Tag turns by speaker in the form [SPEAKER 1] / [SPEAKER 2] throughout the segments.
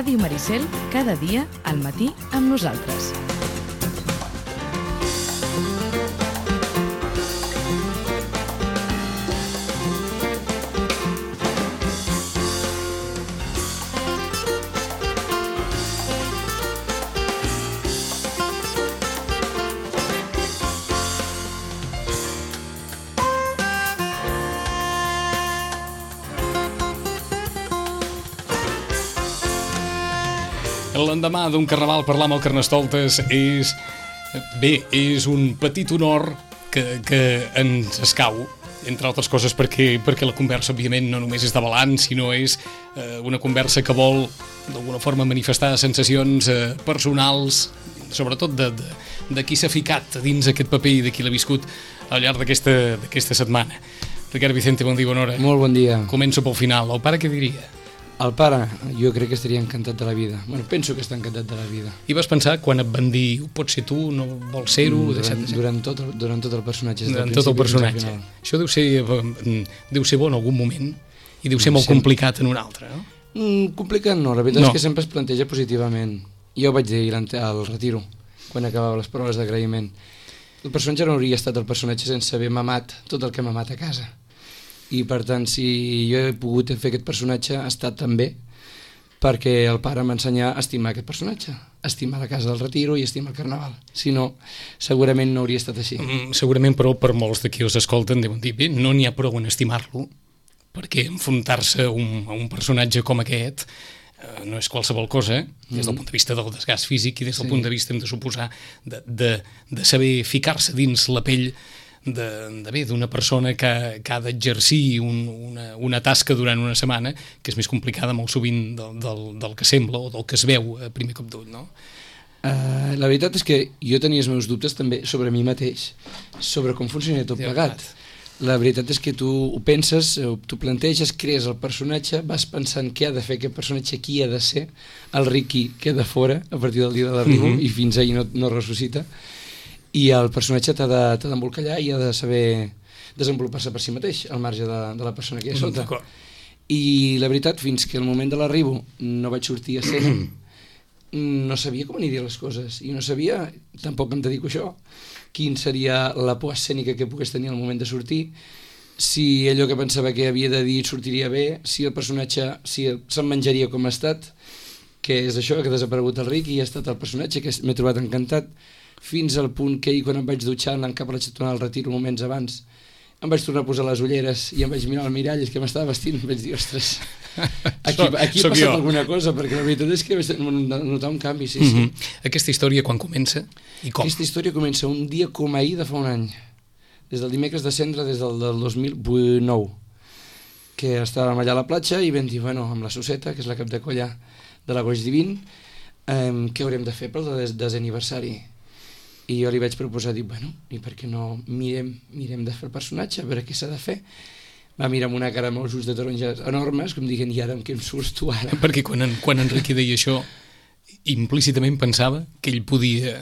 [SPEAKER 1] Ràdio Maricel, cada dia al matí amb nosaltres.
[SPEAKER 2] L'endemà d'un carnaval parlar amb el Carnestoltes és un petit honor que ens escau, entre altres coses perquè la conversa, òbviament, no només és de balanç, sinó és una conversa que vol, d'alguna forma, manifestar sensacions personals, sobretot de qui s'ha ficat dins aquest paper i de qui l'ha viscut al llarg d'aquesta setmana. Ricard Vicente, bon dia, bona hora.
[SPEAKER 3] Molt bon dia.
[SPEAKER 2] Començo pel final. El pare què diria?
[SPEAKER 3] El pare, jo crec que estaria encantat de la vida. Bueno, penso que està encantat de la vida.
[SPEAKER 2] I vas pensar, quan et van dir, pots ser tu, no vols ser-ho?
[SPEAKER 3] Durant tot el personatge.
[SPEAKER 2] Durant tot el personatge. Això deu ser bo en algun moment i deu ser molt complicat en un altre, no?
[SPEAKER 3] Complicat no, la veritat és que sempre es planteja positivament. Jo ho vaig dir al retiro, quan acabava les proves d'agraïment. El personatge no hauria estat el personatge sense haver mamat tot el que ha mamat a casa. I per tant, si jo he pogut fer aquest personatge, ha estat també perquè el pare m'ensenyà a estimar aquest personatge, a estimar la casa del retiro i a estimar el carnaval. Si no, segurament no hauria estat així.
[SPEAKER 2] Segurament, però, per molts de qui els escolten deuen dir, bé, no n'hi ha prou en estimar-lo, perquè enfrontar-se a un personatge com aquest no és qualsevol cosa, des del punt de vista del desgast físic i des del punt de vista, hem de suposar, de saber ficar-se dins la pell d'una persona que ha d'exercir una tasca durant una setmana que és més complicada molt sovint del que sembla o del que es veu a primer cop d'ull, no?
[SPEAKER 3] La veritat és que jo tenia els meus dubtes també sobre mi mateix, sobre com funcionaria tot plegat. La veritat és que tu ho penses, tu planteges, crees el personatge, vas pensant què ha de fer aquest personatge, qui ha de ser, el Riqui queda fora a partir del dia de l'arribo i fins ahir no ressuscita. I el personatge t'ha d'embolcallar i ha de saber desenvolupar-se per si mateix, al marge de la persona que hi ha sota. I la veritat, fins que al moment de l'arribo no vaig sortir a escena, no sabia com anirien les coses, i no sabia, tampoc em dedico a això, quin seria la por escènica que pogués tenir al moment de sortir, si allò que pensava que havia de dir sortiria bé, si el personatge se'n menjaria com ha estat, que és això, que ha desaparegut el Riqui i ha estat el personatge que m'he trobat encantat, fins al punt que ahir quan em vaig dutxar anant cap a la xatona al retiro moments abans em vaig tornar a posar les ulleres i em vaig mirar al mirall que m'estava vestint i vaig dir, ostres, aquí ha passat alguna cosa, perquè la veritat és que vaig notar un canvi, sí.
[SPEAKER 2] Aquesta història quan comença i com?
[SPEAKER 3] Aquesta història comença un dia com ahir de fa un any, des del dimecres de cendre, des del 2009, que estàvem allà a la platja i vam dir, bueno, amb la Suseta, que és la cap de colla de la Goix Divin, què haurem de fer pel desè aniversari? I jo li vaig proposar, dic, bueno, i per què no mirem de fer el personatge, a veure què s'ha de fer. Va mirar amb una cara amb els ulls de taronja enormes, com dient, i ara amb què em surts tu ara?
[SPEAKER 2] Perquè quan en Riqui deia això, implícitament pensava que ell podia...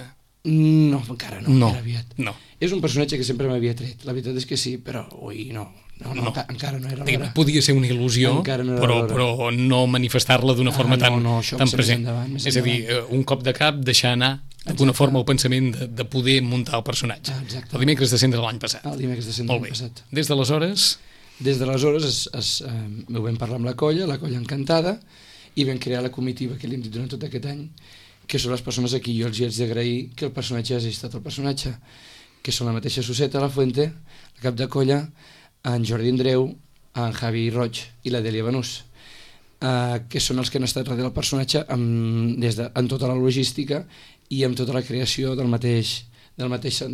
[SPEAKER 3] No, encara no, era aviat.
[SPEAKER 2] No.
[SPEAKER 3] És un personatge que sempre m'havia tret, la veritat és que sí, però ui, no, encara no era l'hora.
[SPEAKER 2] Podia ser una il·lusió, però no manifestar-la d'una forma tan present. És a dir, un cop de cap, deixar anar d'alguna forma el pensament de poder muntar el personatge. El dimecres de cendre l'any passat.
[SPEAKER 3] El dimecres de cendre l'any passat.
[SPEAKER 2] Des d'aleshores?
[SPEAKER 3] Des d'aleshores ho vam parlar amb la colla encantada, i vam crear la comitiva que li hem dit durant tot aquest any, que són les persones a qui jo els hi haig d'agrair que el personatge hagi estat el personatge, que són la mateixa Suseta, la Fuente, la cap de colla, en Jordi Andreu, en Javi Roig i la Dèlia Benús, que són els que han estat darrere del personatge en tota la logística i amb tota la creació de la mateixa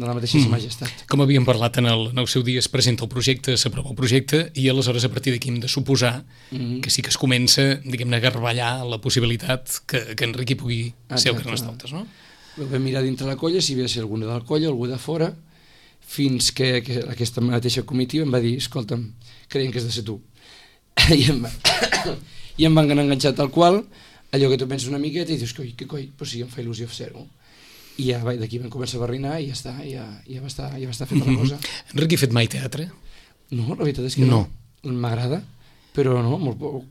[SPEAKER 3] majestat.
[SPEAKER 2] Com havíem parlat en el seu dia, es presenta el projecte, s'aprova el projecte i aleshores a partir d'aquí hem de suposar que sí que es comença, diguem-ne, a garballar la possibilitat que en Riqui pugui ser el Carnestoltes, no?
[SPEAKER 3] Vam mirar dintre la colla si hi havia de ser algú de la colla, algú de fora, fins que aquesta mateixa comitiva em va dir, escolta'm, creiem que has de ser tu. I em van enganxar tal qual, allò que tu penses una miqueta i dius, que coi, però sí, em fa il·lusió fer-ho. I ja d'aquí vam començar a barrinar i ja està, ja va estar feta la cosa.
[SPEAKER 2] Enric, ha fet mai teatre?
[SPEAKER 3] No, la veritat és que no. M'agrada. però no,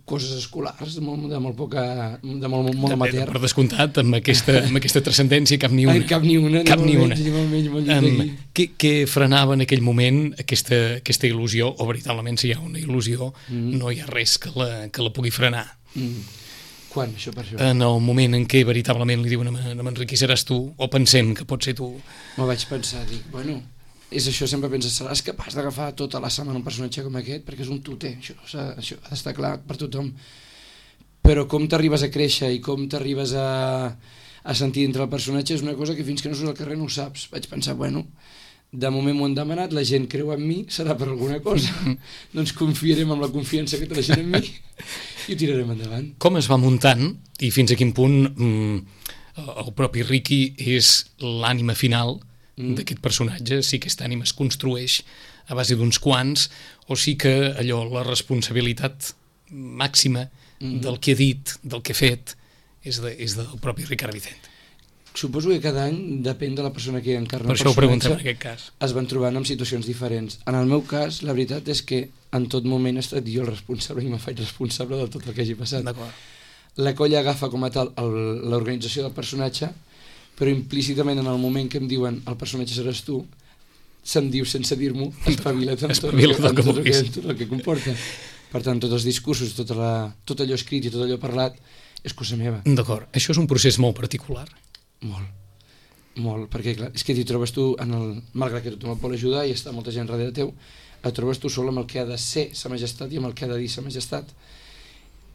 [SPEAKER 3] coses escolars, de molt amateur.
[SPEAKER 2] Per descomptat, amb aquesta transcendència, cap ni una.
[SPEAKER 3] Cap ni una.
[SPEAKER 2] Què frenava en aquell moment aquesta il·lusió, o veritablement si hi ha una il·lusió, no hi ha res que la pugui frenar?
[SPEAKER 3] Quan, això per això?
[SPEAKER 2] En el moment en què veritablement li diuen a Manrique seràs tu, o pensem que pot ser tu.
[SPEAKER 3] M'ho vaig pensar, dic, bueno, és això, sempre penses, seràs capaç d'agafar tota la setmana un personatge com aquest, perquè és un tuter, això ha d'estar clar per tothom. Però com t'arribes a créixer i com t'arribes a sentir dintre el personatge és una cosa que fins que no surts al carrer no ho saps. Vaig pensar, bueno, de moment m'ho han demanat, la gent creu en mi, serà per alguna cosa, doncs confiarem amb la confiança que té la gent en mi i ho tirarem endavant.
[SPEAKER 2] Com es va muntant i fins a quin punt el propi Ricky és l'ànima final d'aquest personatge, si aquesta ànima es construeix a base d'uns quants, o sí que allò, la responsabilitat màxima del que ha dit, del que ha fet, és del propi Ricard Vicente.
[SPEAKER 3] Suposo que cada any, depèn de la persona que encarna
[SPEAKER 2] el personatge, per això ho preguntem en aquest cas.
[SPEAKER 3] Es van trobant en situacions diferents. En el meu cas, la veritat és que en tot moment he estat jo el responsable i me faig responsable de tot el que hagi passat. La colla agafa com a tal l'organització del personatge, però implícitament en el moment que em diuen el personatge seràs tu, se'm diu sense dir-m'ho, espavila't amb tot el que comporta. Per tant, tots els discursos, tot allò escrit i tot allò parlat és cosa meva.
[SPEAKER 2] D'acord, això és un procés molt particular.
[SPEAKER 3] Molt, perquè clar, és que t'hi trobes tu, malgrat que tothom et vol ajudar i està molta gent darrere teu, et trobes tu sol amb el que ha de ser sa majestat i amb el que ha de dir sa majestat.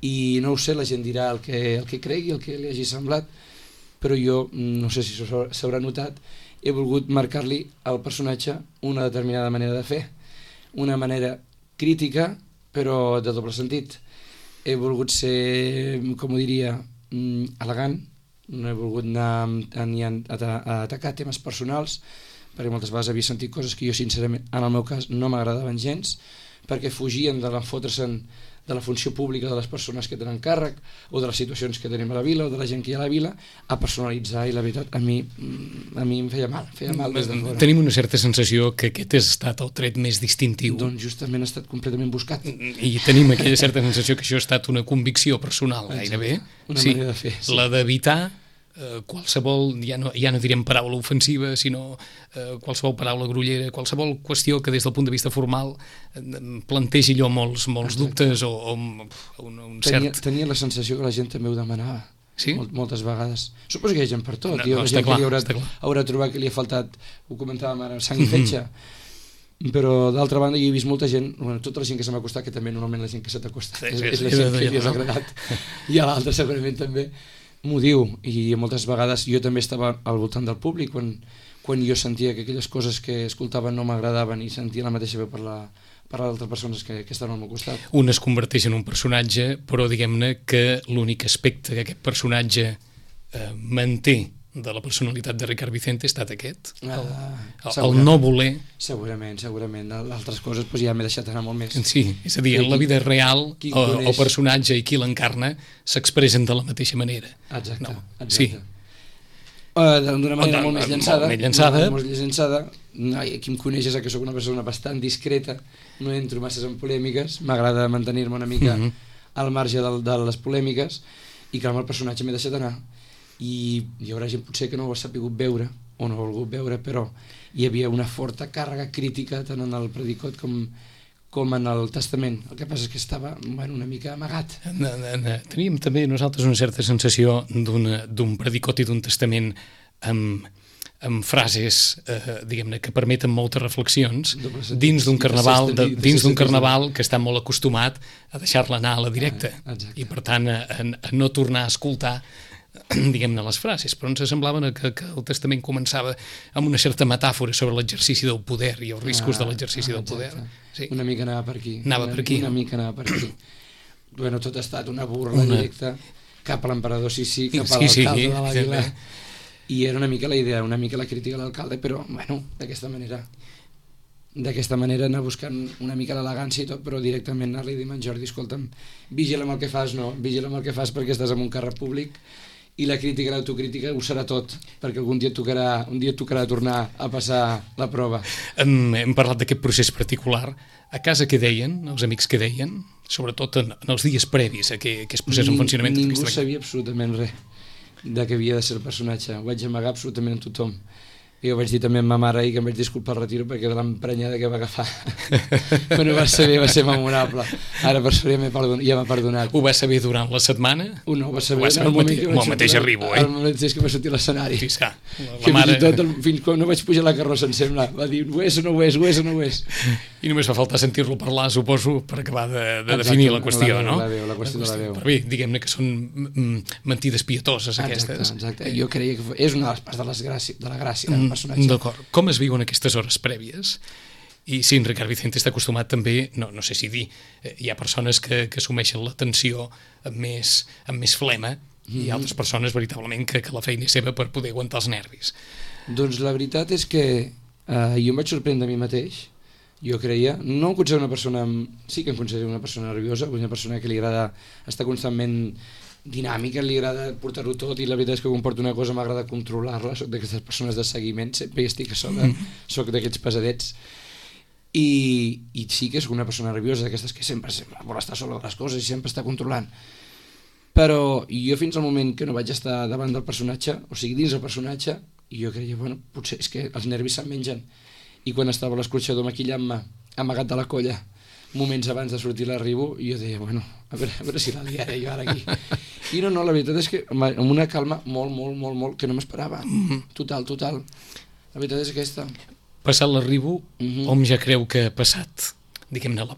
[SPEAKER 3] I no ho sé, la gent dirà el que cregui, el que li hagi semblat, però jo, no sé si s'haurà notat, he volgut marcar-li al personatge una determinada manera de fer, una manera crítica, però de doble sentit. He volgut ser, com ho diria, elegant, no he volgut anar ni a atacar temes personals, perquè moltes vegades havia sentit coses que jo, sincerament, en el meu cas, no m'agradaven gens, perquè fugien de l'enfotre-se'n de la funció pública de les persones que tenen càrrec o de les situacions que tenim a la vila o de la gent que hi ha a la vila, a personalitzar, i la veritat a mi em feia mal des de fora.
[SPEAKER 2] Tenim una certa sensació que aquest ha estat el tret més distintiu.
[SPEAKER 3] Doncs justament ha estat completament buscat.
[SPEAKER 2] I tenim aquella certa sensació que això ha estat una convicció personal gairebé.
[SPEAKER 3] Una manera de fer, sí.
[SPEAKER 2] La d'evitar qualsevol, ja no direm paraula ofensiva, sinó qualsevol paraula grollera, qualsevol qüestió que des del punt de vista formal plantegi allò molts dubtes o un cert...
[SPEAKER 3] Tenia la sensació que la gent també ho demanava.
[SPEAKER 2] Sí?
[SPEAKER 3] Moltes vegades. Suposo que hi ha gent per tot.
[SPEAKER 2] Està clar.
[SPEAKER 3] Haurà trobat que li ha faltat, ho comentàvem ara, sang i fetge. Però d'altra banda jo he vist molta gent, tota la gent que se m'ha acostat, que també normalment la gent que se t'acosta és la gent que li has agradat, i a l'altra segurament també m'ho diu, i moltes vegades jo també estava al voltant del públic quan jo sentia que aquelles coses que escoltaven no m'agradaven i sentia la mateixa veu per l'altres persones que estaven al meu costat.
[SPEAKER 2] Un es converteix en un personatge, però diguem-ne que l'únic aspecte que aquest personatge manté de la personalitat de Ricard Vicente ha estat aquest, el no voler.
[SPEAKER 3] Segurament, altres coses ja m'he deixat anar molt més.
[SPEAKER 2] Sí, és a dir, en la vida real el personatge i qui l'encarna s'expressen de la mateixa manera.
[SPEAKER 3] Exacte.
[SPEAKER 2] Sí.
[SPEAKER 3] D'una manera molt més llançada.
[SPEAKER 2] Molt més llançada.
[SPEAKER 3] Qui em coneix és que sóc una persona bastant discreta, no entro masses en polèmiques, m'agrada mantenir-me una mica al marge de les polèmiques, i clar, amb el personatge m'he deixat anar. I hi haurà gent potser que no ho ha sapigut veure o no ha volgut veure, però hi havia una forta càrrega crítica tant en el predicot com en el testament. El que passa és que estava una mica amagat.
[SPEAKER 2] Teníem també nosaltres una certa sensació d'un predicot i d'un testament amb frases diguem-ne que permeten moltes reflexions dins d'un carnaval que està molt acostumat a deixar-la anar a la directa i per tant a no tornar a escoltar diguem-ne les frases, però ens semblava que el testament començava amb una certa metàfora sobre l'exercici del poder i els riscos de l'exercici del poder.
[SPEAKER 3] Sí. Una mica anava per aquí. Una mica anava per aquí. Bueno, tot ha estat una burla directa cap a l'emperador Sissi, cap a l'alcalde de l'Àguila, i era una mica la idea, una mica la crítica a l'alcalde, però bueno, d'aquesta manera anar buscant una mica l'elegància i tot, però directament anar-li a dir a en Jordi, escolta'm, vigila amb el que fas, vigila amb el que fas perquè estàs en un càrrec públic i la crítica i l'autocrítica ho serà tot, perquè un dia et tocarà tornar a passar la prova.
[SPEAKER 2] Hem parlat d'aquest procés particular. A casa què deien, els amics què deien? Sobretot en els dies previs a que es posés en funcionament.
[SPEAKER 3] Ningú sabia absolutament res de què havia de ser el personatge. Ho vaig amagar absolutament a tothom. I ho vaig dir també a ma mare ahir, que em vaig disculpar al retiro perquè de l'emprenyada que va agafar quan ho va ser memorable. Ara per sort ja m'ha perdonat.
[SPEAKER 2] Ho va saber durant la setmana?
[SPEAKER 3] No, ho va saber
[SPEAKER 2] el mateix arribo,
[SPEAKER 3] el mateix que va sortir a l'escenari.
[SPEAKER 2] Fiscar.
[SPEAKER 3] Que mare... fins quan no vaig pujar la carrossa, em sembla, va dir, ho és o no ho és, ho és o no ho és.
[SPEAKER 2] I només fa falta sentir-lo parlar, suposo, per acabar de definir la qüestió, no?
[SPEAKER 3] La qüestió de la veu.
[SPEAKER 2] Però bé, diguem-ne que són mentides pietoses, aquestes.
[SPEAKER 3] Exacte. Jo creia que és una de les parts de la gràcia del personatge.
[SPEAKER 2] D'acord. Com es viuen aquestes hores prèvies? I sí, en Ricard Vicente està acostumat també, no sé si dir, hi ha persones que assumeixen la tensió amb més flema i altres persones veritablement que la feina és seva per poder aguantar els nervis.
[SPEAKER 3] Doncs la veritat és que jo em vaig sorprendre a mi mateix. Jo creia, no em considero una persona, sí que em considero una persona nerviosa, una persona que li agrada estar constantment dinàmica, li agrada portar-ho tot, i la veritat és que quan porto una cosa m'agrada controlar-la. Soc d'aquestes persones de seguiment, sempre hi estic a sobre, soc d'aquests pesadets, i sí que soc una persona nerviosa, d'aquestes que sempre vol estar sobre les coses i sempre està controlant. Però jo fins al moment que no vaig estar davant del personatge, o sigui dins del personatge, jo creia, bueno, potser és que els nervis se'n mengen. I quan estava a l'escorxador maquillant-me, amagat de la colla, moments abans de sortir l'arribo, i jo deia, bueno, a veure si la liaré jo ara aquí. I no, la veritat és que amb una calma molt, que no m'esperava. Total. La veritat és aquesta.
[SPEAKER 2] Passat l'arribo, hom ja creu que ha passat, diguem-ne, la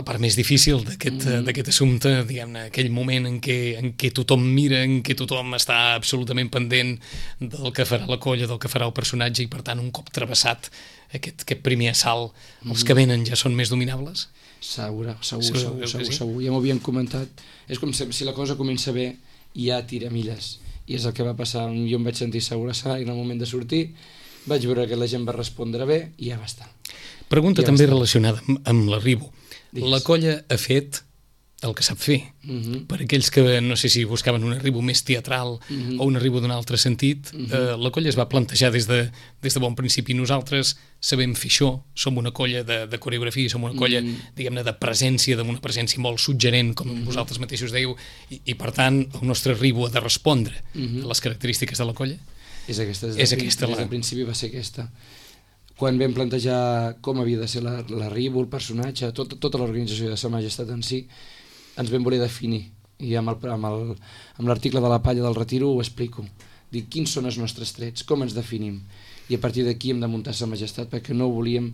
[SPEAKER 2] part més difícil d'aquest assumpte, diguem-ne, aquell moment en què tothom mira, en què tothom està absolutament pendent del que farà la colla, del que farà el personatge, i per tant, un cop travessat aquest primer assalt, els que venen ja són més dominables?
[SPEAKER 3] Segur. Ja m'ho havien comentat. És com si la cosa comença bé i ja tira milles. I és el que va passar. Jo em vaig sentir segur a l'escenari en el moment de sortir, vaig veure que la gent va respondre bé i ja va estar.
[SPEAKER 2] Pregunta també relacionada amb l'arribo. La colla ha fet el que sap fer. Per aquells que no sé si buscaven un arribo més teatral o un arribo d'un altre sentit, la colla es va plantejar des de bon principi. Nosaltres sabem fer això, som una colla de coreografia, som una colla, diguem-ne, de presència, d'una presència molt suggerent, com vosaltres mateixos dèieu, i per tant el nostre arribo ha de respondre a les característiques de la colla?
[SPEAKER 3] És aquesta. Des del principi va ser aquesta. Quan vam plantejar com havia de ser l'arribo, el personatge, tota l'organització de Sa Majestat en si, ens vam voler definir. I amb l'article de la Palla del Retiro ho explico. Dic, quins són els nostres trets, com ens definim? I a partir d'aquí hem de muntar Sa Majestat, perquè no volíem...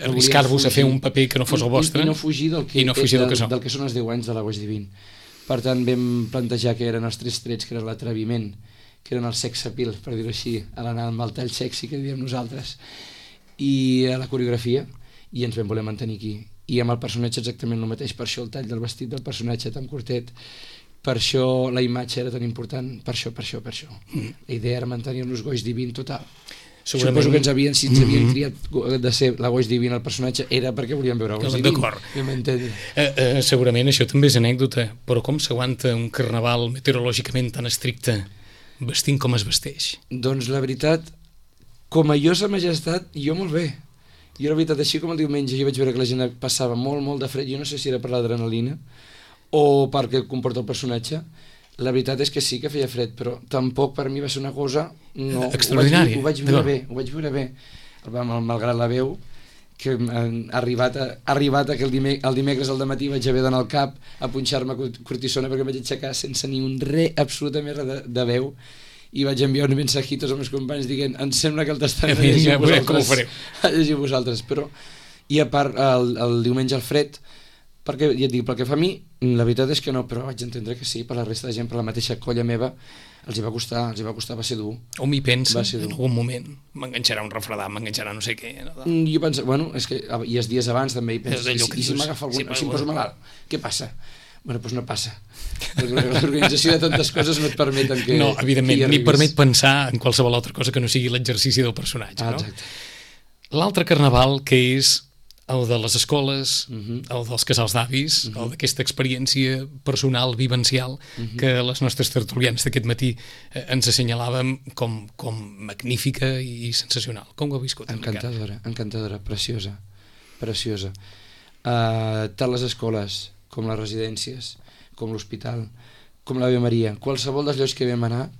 [SPEAKER 2] Arriscar-vos a fer un paper que no fos el vostre.
[SPEAKER 3] I no fugir del que són els 10 anys de l'Agoix Divin. Per tant, vam plantejar que eren els 3 trets, que era l'atreviment, que eren el sex appeal, per dir-ho així, a l'anar amb el tall sexy que diem nosaltres, i a la coreografia, i ens vam voler mantenir aquí. I amb el personatge exactament el mateix, per això el tall del vestit del personatge tan curtet, per això la imatge era tan important, per això. La idea era mantenir-nos Goix Divin total. Suposo que si ens havien triat de ser la Goix Divin el personatge era perquè volíem veure Goix Divin.
[SPEAKER 2] D'acord. Segurament això també és anècdota, però com s'aguanta un carnaval meteorològicament tan estricte vestint com es vesteix?
[SPEAKER 3] Doncs la veritat, com a jo Sa Majestat, jo molt bé. Jo la veritat, així com el diumenge jo vaig veure que la gent passava molt de fred, jo no sé si era per l'adrenalina o perquè comporta el personatge. La veritat és que sí que feia fred, però tampoc per mi va ser una cosa
[SPEAKER 2] extraordinària.
[SPEAKER 3] Ho vaig veure bé, malgrat la veu, que ha arribat que el dimecres al dematí vaig haver d'anar al CAP a punxar-me cortisona perquè vaig aixecar sense ni un absolutament res de veu, i vaig enviar un mensajito als meus companys dient, em sembla que el testament a llegir vosaltres, però i a part el diumenge al fred, perquè ja et dic, pel que fa a mi la veritat és que no, però vaig entendre que sí, per la resta de gent, per la mateixa colla meva els hi va costar, va ser dur.
[SPEAKER 2] O m'hi pensa, en algun moment m'enganxarà un refredat, m'enganxarà no sé què.
[SPEAKER 3] Jo penso, bueno, és que i els dies abans també hi penso, i si m'agafa algun, si em poso malalt, què passa? Bueno, doncs no passa. L'organització de tantes coses no et permeten que...
[SPEAKER 2] No, evidentment, ni permet pensar en qualsevol altra cosa que no sigui l'exercici del personatge.
[SPEAKER 3] Exacte.
[SPEAKER 2] No? L'altre carnaval, que és el de les escoles, el dels casals d'avis, el d'aquesta experiència personal, vivencial, que les nostres tertulianes d'aquest matí ens assenyalàvem com magnífica i sensacional. Com ho heu viscut?
[SPEAKER 3] Encantadora, preciosa. Tant les escoles com les residències, com l'hospital, com l'Ave Maria, qualsevol dels llocs que vam anar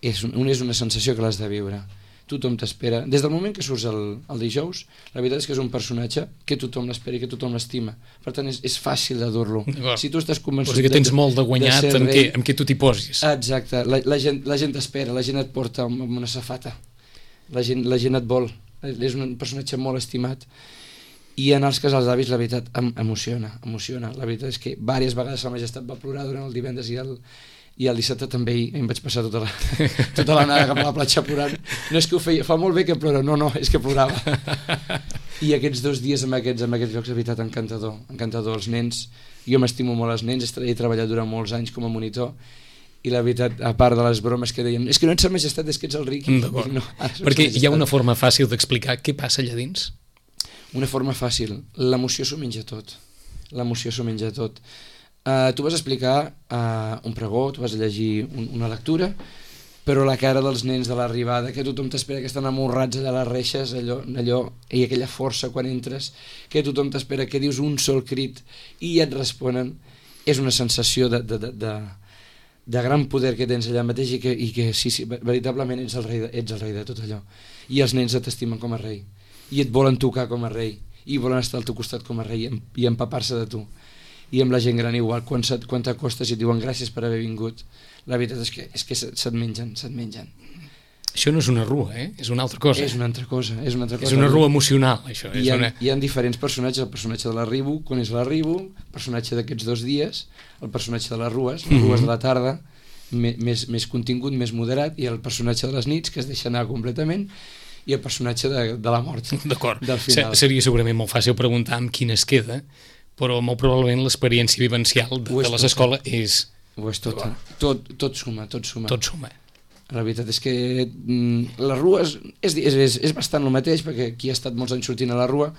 [SPEAKER 3] és una sensació que l'has de viure. Tothom t'espera. Des del moment que surts el dijous, la veritat és que és un personatge que tothom l'espera i que tothom l'estima. Per tant, és fàcil de dur-lo. Si tu estàs convençut...
[SPEAKER 2] O sigui que tens molt de guanyat amb què tu t'hi posis.
[SPEAKER 3] Exacte. La gent t'espera, la gent et porta amb una safata. La gent et vol. És un personatge molt estimat. I en els casals d'avis, la veritat, emociona. La veritat és que diverses vegades Sa Majestat va plorar durant el divendres i el dissabte també em vaig passar tota l'anada cap a la platja plorant. No és que ho feia, fa molt bé que plora, no, és que plorava. I aquests 2 dies en aquests llocs, de veritat, encantador. Els nens, jo m'estimo molt els nens, he treballat durant molts anys com a monitor, i la veritat, a part de les bromes que deien, és que no ets Sa Majestat, és que ets el Riqui.
[SPEAKER 2] No, perquè hi ha una forma fàcil d'explicar què passa allà dins?
[SPEAKER 3] Una forma fàcil, l'emoció s'ho menja tot. Tu vas explicar un pregó, tu vas llegir una lectura, però la cara dels nens de l'arribada, que tothom t'espera, que estan amorrats allà a les reixes, allò, i aquella força quan entres, que tothom t'espera, que dius un sol crit i et responen, és una sensació de gran poder que tens allà mateix i que sí, veritablement ets el rei de tot allò. I els nens t'estimen com a rei, i et volen tocar com a rei, i volen estar al teu costat com a rei i empapar-se de tu. I amb la gent gran igual, quan t'acostes i et diuen gràcies per haver vingut, la veritat és que se't mengen.
[SPEAKER 2] Això no és una rua, és una altra cosa.
[SPEAKER 3] És una altra cosa.
[SPEAKER 2] És una rua emocional, això.
[SPEAKER 3] Hi ha diferents personatges, el personatge de l'arribo, quan és l'arribo, el personatge d'aquests 2 dies, el personatge de les rues de la tarda, més contingut, més moderat, i el personatge de les nits, que es deixa anar completament, i el personatge de la mort.
[SPEAKER 2] D'acord.
[SPEAKER 3] Del final.
[SPEAKER 2] Seria segurament molt fàcil preguntar amb quin es queda, però molt probablement l'experiència vivencial de les escoles és...
[SPEAKER 3] Ho és tot. Tot suma. La veritat és que les rues és bastant el mateix, perquè qui ha estat molts anys sortint a la rua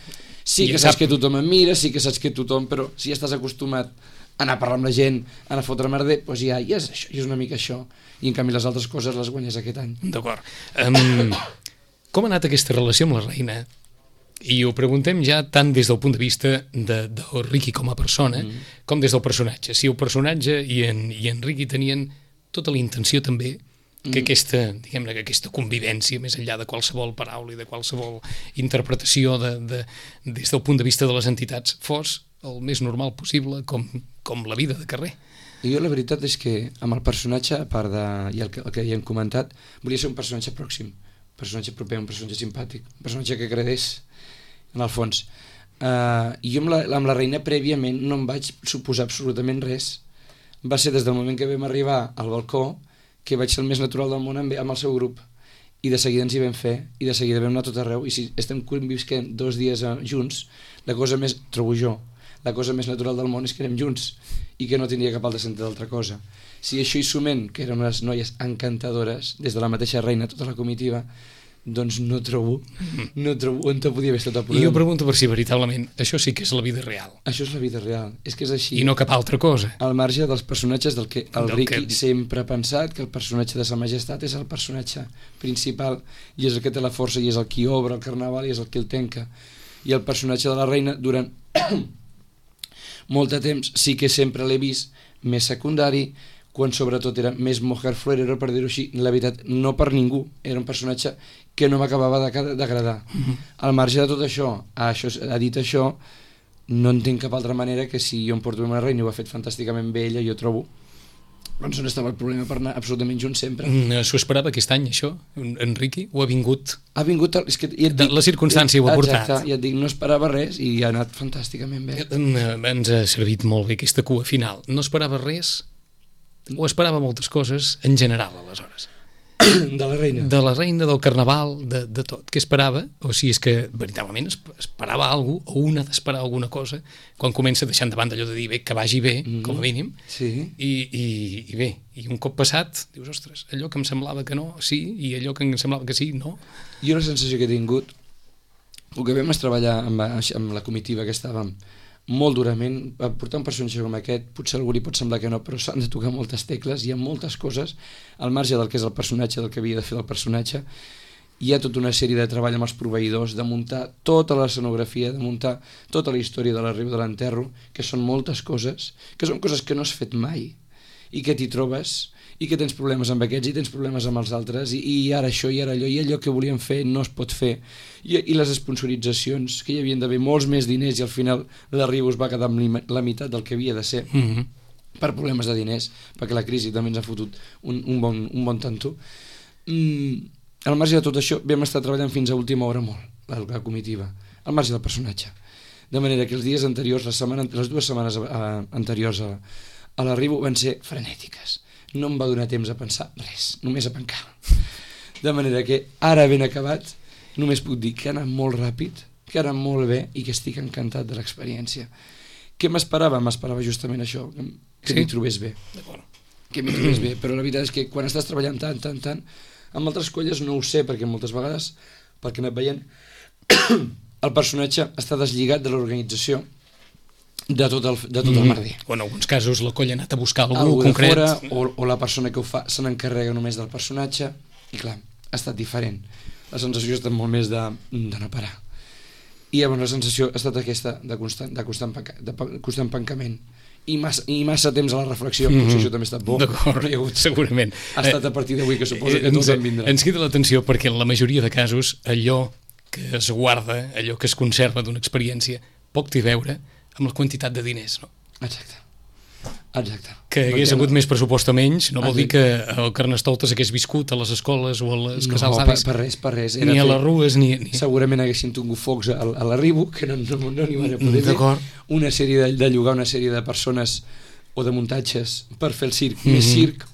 [SPEAKER 3] sí que saps que tothom em mira, sí que saps que tothom, però si ja estàs acostumat a anar a parlar amb la gent, a anar a fotre merder, doncs ja és això, és una mica això, i en canvi les altres coses les guanyes aquest any.
[SPEAKER 2] D'acord. Com ha anat aquesta relació amb la reina? I ho preguntem ja tant des del punt de vista de Riqui com a persona, com des del personatge. Si el personatge i en Riqui tenien tota la intenció també que aquesta convivència, més enllà de qualsevol paraula i de qualsevol interpretació des del punt de vista de les entitats, fos el més normal possible, com la vida de carrer.
[SPEAKER 3] I jo la veritat és que amb el personatge, a part el que ja hem comentat, volia ser un personatge pròxim, un personatge proper, un personatge simpàtic, un personatge que agradés en el fons. I jo amb la reina prèviament no em vaig suposar absolutament res. Va ser des del moment que vam arribar al balcó que vaig ser el més natural del món amb el seu grup, i de seguida ens hi vam fer, i de seguida vam anar a tot arreu, i si estem convisquent 2 dies junts, trobo jo, la cosa més natural del món és que anem junts, i que no tindria cap altre sentit d'altra cosa. Si això hi sumem, que eren unes noies encantadores, des de la mateixa reina, tota la comitiva, doncs no trobo on te podia haver estat el problema.
[SPEAKER 2] I jo pregunto per si veritablement això sí que és la vida real.
[SPEAKER 3] Això és la vida real, és que és així.
[SPEAKER 2] I no cap altra cosa.
[SPEAKER 3] Al marge dels personatges del que el Riqui sempre ha pensat, que el personatge de Sa Majestat és el personatge principal, i és el que té la força, i és el qui obre el carnaval, i és el que el tanca. I el personatge de la reina, durant molt de temps, sí que sempre l'he vist més secundari, quan sobretot era més mujer florero, per dir-ho així, la veritat, no per ningú, era un personatge que no m'acabava d'agradar. Al marge de tot això, ha dit això, no entenc cap altra manera que si jo em porto amb una reina i ho ha fet fantàsticament bé ella, jo trobo, doncs on estava el problema per anar absolutament junts sempre.
[SPEAKER 2] S'ho esperava aquest any, això, en Riqui? O ha vingut?
[SPEAKER 3] Ha vingut, és que ja et dic,
[SPEAKER 2] la circumstància ho ha portat.
[SPEAKER 3] Exacte, ja et dic, no esperava res i ha anat fantàsticament bé.
[SPEAKER 2] Ens ha servit molt bé aquesta cua final. No esperava res? O esperava moltes coses en general, aleshores?
[SPEAKER 3] De la reina?
[SPEAKER 2] De la reina, del carnaval, de tot. Què esperava? O si és que veritablement esperava alguna cosa, o un ha d'esperar alguna cosa, quan comença deixant de banda allò de dir bé, que vagi bé, com a mínim,
[SPEAKER 3] sí.
[SPEAKER 2] I bé, i un cop passat, dius, ostres, allò que em semblava que no, sí, i allò que em semblava que sí, no.
[SPEAKER 3] Jo la sensació que he tingut, el que vam és treballar amb la comitiva que estàvem molt durament, portar un personatge com aquest, potser a algú li pot semblar que no, però s'han de tocar moltes tecles, hi ha moltes coses, al marge del que és el personatge, del que havia de fer el personatge, hi ha tota una sèrie de treball amb els proveïdors, de muntar tota l'escenografia, de muntar tota la història de l'arribo de l'enterro, que són moltes coses, que són coses que no has fet mai, i que t'hi trobes, i que tens problemes amb aquests i tens problemes amb els altres i ara això i ara allò i allò que volíem fer no es pot fer i les sponsoritzacions que hi havien d'haver molts més diners i al final l'arribo es va quedar amb la meitat del que havia de ser per problemes de diners, perquè la crisi també ens ha fotut un bon tanto. Al marge de tot això vam estar treballant fins a última hora molt la comitiva, al marge del personatge, de manera que els dies anteriors, les 2 setmanes anteriors a l'arribo van ser frenètiques. No em va donar temps a pensar res, només a pencar. De manera que ara ben acabat només puc dir que ha anat molt ràpid, que ha anat molt bé i que estic encantat de l'experiència. Què m'esperava? M'esperava justament això, que m'hi trobés bé. Que m'hi trobés bé, però la veritat és que quan estàs treballant tant, amb altres colles no ho sé, perquè moltes vegades, pel que he anat veient, el personatge està deslligat de l'organització de tot el merder.
[SPEAKER 2] O en alguns casos la colla ha anat a buscar algú concret.
[SPEAKER 3] Fora, o la persona que ho fa se n'encarrega només del personatge, i clar, ha estat diferent. La sensació ha estat molt més de no parar. I llavors la sensació ha estat aquesta de constant pancament. I massa temps a la reflexió, potser això també ha estat bo.
[SPEAKER 2] D'acord, segurament.
[SPEAKER 3] Ha estat a partir d'avui que suposo que tot en vindrà.
[SPEAKER 2] Ens crida l'atenció perquè en la majoria de casos allò que es guarda, allò que es conserva d'una experiència, poc té a veure amb la quantitat de diners, no?
[SPEAKER 3] Exacte.
[SPEAKER 2] Que hagués hagut més pressupost o menys, no vol dir que el Carnestoltes hagués viscut a les escoles o a les casals d'avis.
[SPEAKER 3] Per res.
[SPEAKER 2] Ni a les rues, ni...
[SPEAKER 3] Segurament haguessin tingut focs a l'arribo, que no n'hi van a poder fer. Una sèrie de llogar una sèrie de persones o de muntatges per fer el circ, més circ,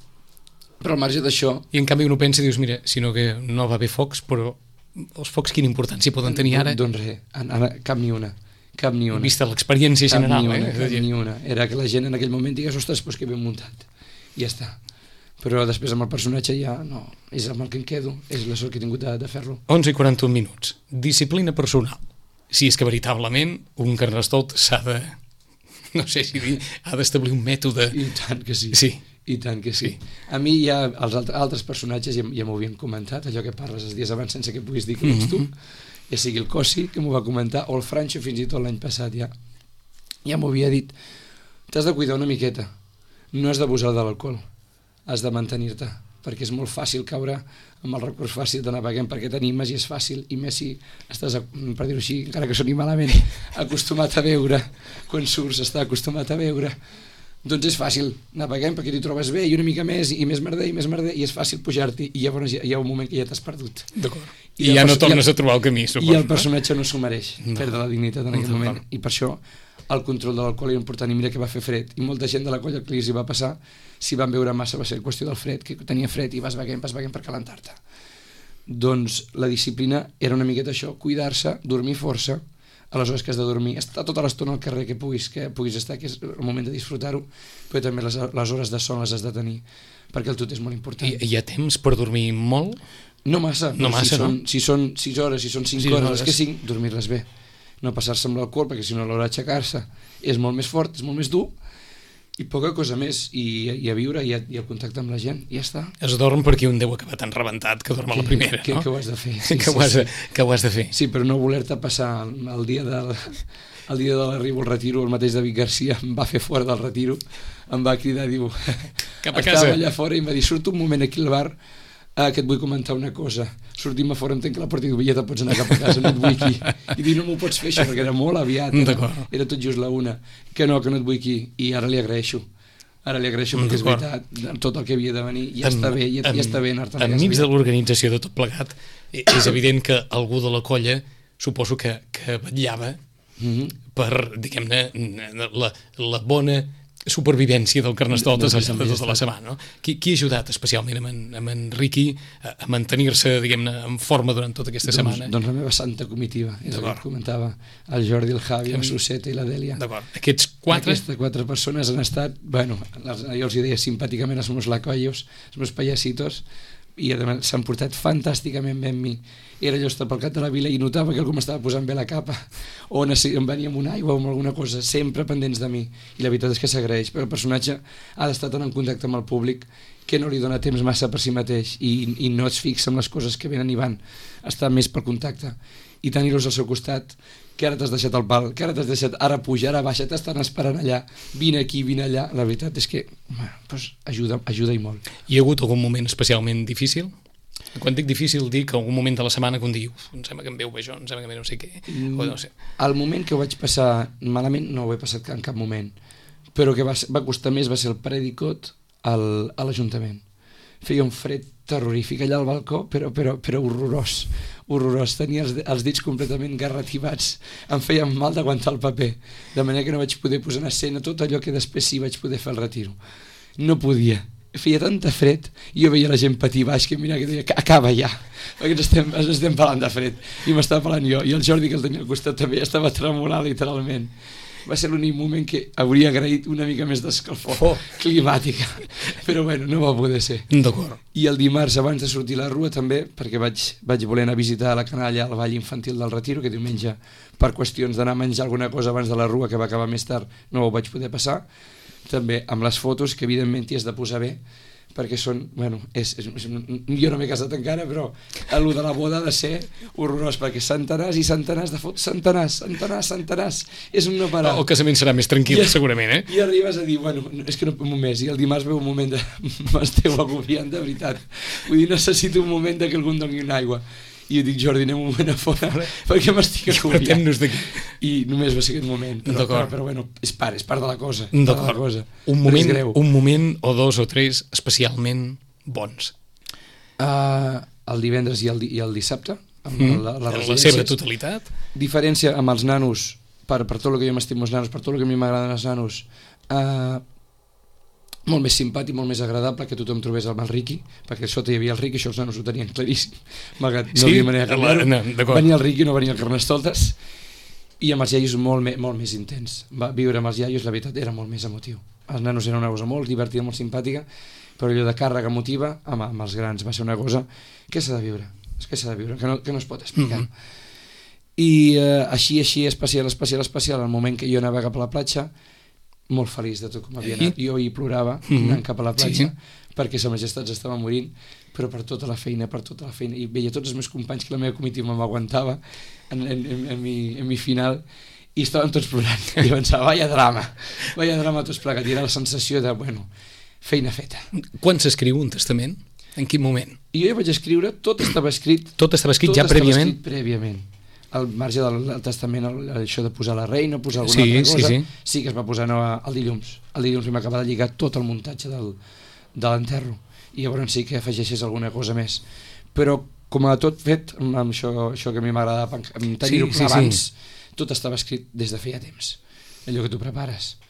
[SPEAKER 3] però al marge d'això...
[SPEAKER 2] I en canvi uno pensa i dius, mira, sinó que no va haver focs, però els focs quina importància poden tenir ara?
[SPEAKER 3] Doncs res, cap ni una.
[SPEAKER 2] Vista l'experiència general.
[SPEAKER 3] Cap ni una. Era que la gent en aquell moment digués, ostres, doncs que ben muntat. I ja està. Però després amb el personatge ja no, és amb el que em quedo, és la sort que he tingut de fer-lo.
[SPEAKER 2] 11 i 41 minuts. Disciplina personal. Si és que veritablement un Carnestolt s'ha de, no sé si dir, ha d'establir un mètode...
[SPEAKER 3] I tant que sí.
[SPEAKER 2] Sí.
[SPEAKER 3] I tant que sí. A mi ja els altres personatges ja m'ho havien comentat, allò que parles els dies abans sense que puguis dir que ets tu, ja sigui el Cossi, que m'ho va comentar, o el Francho fins i tot l'any passat ja m'ho havia dit. T'has de cuidar una miqueta, no has d'abusar de l'alcohol, has de mantenir-te, perquè és molt fàcil caure amb el recurs fàcil d'anar beguent, perquè t'animes i és fàcil, i més si estàs, per dir-ho així, encara que soni malament, acostumat a beure, quan surts està acostumat a beure, doncs és fàcil anar beguent perquè t'hi trobes bé i una mica més i més merder i és fàcil pujar-t'hi i llavors hi ha un moment que ja t'has perdut.
[SPEAKER 2] D'acord. I ja no tornes a trobar el camí, suposo.
[SPEAKER 3] I el personatge no s'ho mereix, perdre la dignitat en aquell moment. I per això el control de l'alcohol era important i mira que va fer fred. I molta gent de la colla que li va passar, si van beure massa va ser qüestió del fred, que tenia fred i vas beguent per calentar-te. Doncs la disciplina era una miqueta això, cuidar-se, dormir força, a les hores que has de dormir, estar tota l'estona al carrer que puguis estar, que és el moment de disfrutar-ho, però també les hores de son les has de tenir, perquè el tot és molt important.
[SPEAKER 2] Hi ha temps per dormir molt?
[SPEAKER 3] No massa, si són 6 hores, si són 5 hores, les que 5, dormir-les bé. No passar-se amb l'alcohol, perquè si no a l'hora d'aixecar-se és molt més fort, és molt més dur, i poca cosa més, i a viure i el contacte amb la gent, i ja està.
[SPEAKER 2] Es dorm perquè un deu acabar tan rebentat que dorm a la primera, no?
[SPEAKER 3] Que ho has de fer.
[SPEAKER 2] Que ho has de fer.
[SPEAKER 3] Sí, però no voler-te passar el dia de l'arribo al retiro, el mateix David Garcia em va fer fora del retiro, em va cridar, diu,
[SPEAKER 2] cap a casa.
[SPEAKER 3] Estava allà fora i em va dir, surto un moment aquí al bar, que et vull comentar una cosa. Sortim a fora, entenc que la porta i diu, ja te pots anar cap a casa, no et vull aquí. I diu, no m'ho pots fer això, perquè era molt aviat. Era tot just la una. Que no et vull aquí. I ara li agraeixo. Perquè és veritat, tot el que havia de venir ja està bé, ja està bé anar-te'n a casa.
[SPEAKER 2] Enmig de l'organització de tot plegat, és evident que algú de la colla suposo que vetllava per, diguem-ne, la bona supervivència del Carnestoltes al llarg de tota la setmana. Qui ha ajudat especialment amb en Riqui a mantenir-se, diguem-ne, en forma durant tota aquesta setmana?
[SPEAKER 3] Doncs la meva santa comitiva, és el que et comentava, el Jordi, el Javi, el Suseta i la Dèlia.
[SPEAKER 2] D'acord. Aquestes 4
[SPEAKER 3] persones han estat, bueno, jo els deia simpàticament els meus lacoyos, els meus payasitos, i s'han portat fantàsticament bé amb mi. Era allò estar pel cap de la vila i notava que algú m'estava posant bé la capa o em venia amb una aigua o amb alguna cosa, sempre pendents de mi, i la veritat és que s'agraeix, però el personatge ha d'estar tan en contacte amb el públic que no li dona temps massa per si mateix i no es fixa en les coses que venen i van, està més per contacte, i tenir-los al seu costat, que ara t'has deixat el pal, que ara t'has deixat, ara puja, ara baixa, t'estan esperant allà, vine aquí, vine allà, la veritat és que doncs ajuda i molt.
[SPEAKER 2] Hi ha hagut algun moment especialment difícil? Quan dic difícil, dic algun moment de la setmana que un diu, em sembla que em veu bé jo, em sembla que em veu no sé què, o no sé.
[SPEAKER 3] El moment que ho vaig passar malament no ho he passat en cap moment, però que va costar més va ser el predicot a l'Ajuntament. Feia un fred terrorífic allà al balcó, però horrorós, tenia els dits completament garrativats, em feia mal d'aguantar el paper, de manera que no vaig poder posar en escena tot allò que després sí vaig poder fer el retiro. No podia, feia tanta fred, i jo veia la gent patir baix que mira que deia que acaba ja, perquè ens estem pelant de fred, i m'estava pelant jo, i el Jordi que el tenia al costat també estava tremolant literalment. Va ser l'únic moment que hauria agraït una mica més d'escalfor climàtica, però bueno, no va poder ser.
[SPEAKER 2] D'acord.
[SPEAKER 3] I el dimarts abans de sortir a la rua també, perquè vaig voler anar a visitar la canalla al Ball Infantil del Retiro, que diumenge per qüestions d'anar a menjar alguna cosa abans de la rua, que va acabar més tard, no ho vaig poder passar, també amb les fotos, que evidentment t'hi has de posar bé, perquè són, bueno, jo no m'he casat encara, però el de la boda ha de ser horrorós, perquè centenars i centenars de fotos, centenars, és un no parar.
[SPEAKER 2] El casament serà més tranquil, segurament, eh?
[SPEAKER 3] I arribes a dir, bueno, és que no puc més, i el dimarts veu un moment de m'esteu agobiant, de veritat, vull dir, necessito un moment que algú em doni una aigua, i jo dic, Jordi, anem un moment a fora perquè m'estic agobiant, i només va ser aquest moment, però bueno, és part de la cosa,
[SPEAKER 2] un moment o dos o tres especialment bons,
[SPEAKER 3] el divendres i el dissabte
[SPEAKER 2] en la seva totalitat,
[SPEAKER 3] diferència amb els nanos, per tot el que jo m'estimo els nanos, per tot el que a mi m'agraden els nanos, molt més simpàtic, molt més agradable, que tothom trobés el Riqui, perquè sota hi havia el Riqui, això els nanos ho tenien claríssim, malgrat no havia manera de canviar-ho, venia el Riqui, no venia el Carnestoltes, i amb els iaios molt més intens. Viure amb els iaios, la veritat, era molt més emotiu. Els nanos eren una cosa molt divertida, molt simpàtica, però allò de càrrega emotiva amb els grans va ser una cosa que s'ha de viure, que no es pot explicar. I així especial, el moment que jo anava cap a la platja, molt feliç de tot com havia anat, jo hi plorava anant cap a la platja, perquè sa majestat s'estava morint, però per tota la feina, i veia tots els meus companys que la meva comitiva m'aguantava en mi final, i estaven tots plorant, i pensava, vaya drama tots plegats, i era la sensació de, bueno, feina feta.
[SPEAKER 2] Quan s'escriu un testament? En quin moment?
[SPEAKER 3] I jo vaig escriure, tot estava escrit
[SPEAKER 2] ja prèviament?
[SPEAKER 3] Al marge del testament, això de posar la reina, posar alguna altra cosa, sí que es va posar el dilluns. El dilluns vam acabar de lligar tot el muntatge de l'enterro, i llavors sí que afegeixes alguna cosa més. Però com a tot fet, amb això que a mi m'agradava tenir-ho abans, tot estava escrit des de feia temps, allò que tu prepares.